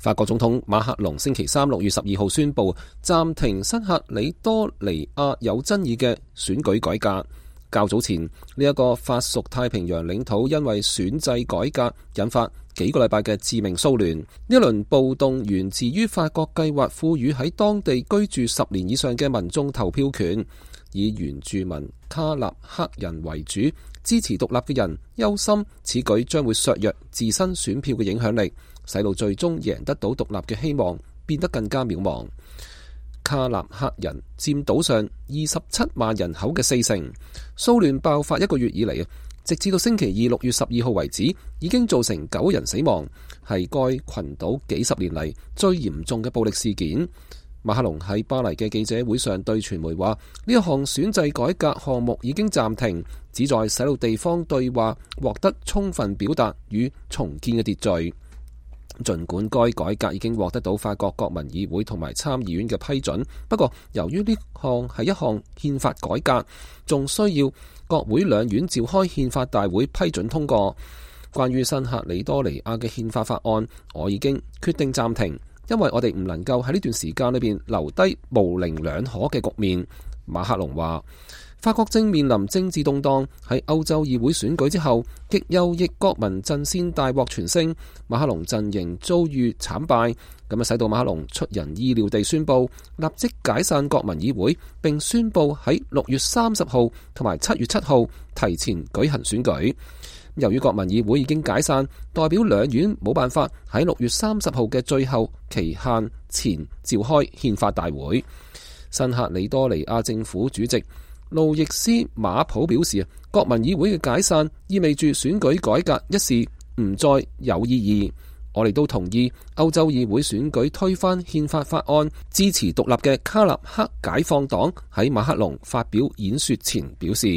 法國總統馬克龍星期三6月12號宣布暫停新喀里多尼亞有爭議嘅選舉改革。較早前呢一個法屬太平洋領土因為選制改革引發幾個禮拜嘅致命騷亂。呢一輪暴動源自於法國計劃賦予喺當地居住10年以上嘅民眾投票權，以原住民卡納克人為主，支持獨立嘅人憂心此舉將會削弱自身選票嘅影響力，使到最終贏得到獨立嘅希望變得更加渺茫。卡納克人佔島上27萬人口嘅40%，騷亂爆發1個月以嚟，直至到星期二6月12號為止，已經造成9人死亡，係該群島幾十年嚟最嚴重嘅暴力事件。馬克龍喺巴黎嘅記者會上對傳媒話：呢一項選制改革項目已經暫停，旨在使到地方對話獲得充分表達與重建嘅秩序。儘管該改革已經獲得到法國國民議會同埋參議院嘅批准，不過由於呢項係一項憲法改革，仲需要國會兩院召開憲法大會批准通過。關於新喀里多尼亞嘅憲法法案，我已經決定暫停，因為我哋唔能夠喺呢段時間裏邊留低模棱兩可嘅局面。馬克龍話：法國正面臨政治動盪，喺歐洲議會選舉之後，極右翼國民陣線大獲全勝，馬克龍陣營遭遇慘敗，咁使到馬克龍出人意料地宣布立即解散國民議會，並宣布喺6月30號同埋7月7號提前舉行選舉。由於國民議會已經解散，代表兩院冇辦法喺6月30號嘅最後期限前召開憲法大會。新喀里多尼亞政府主席路易斯馬普表示，國民議會嘅解散意味住選舉改革一事唔再有意義。我哋都同意歐洲議會選舉推翻憲法法案，支持獨立嘅卡納克解放黨喺馬克龍發表演說前表示。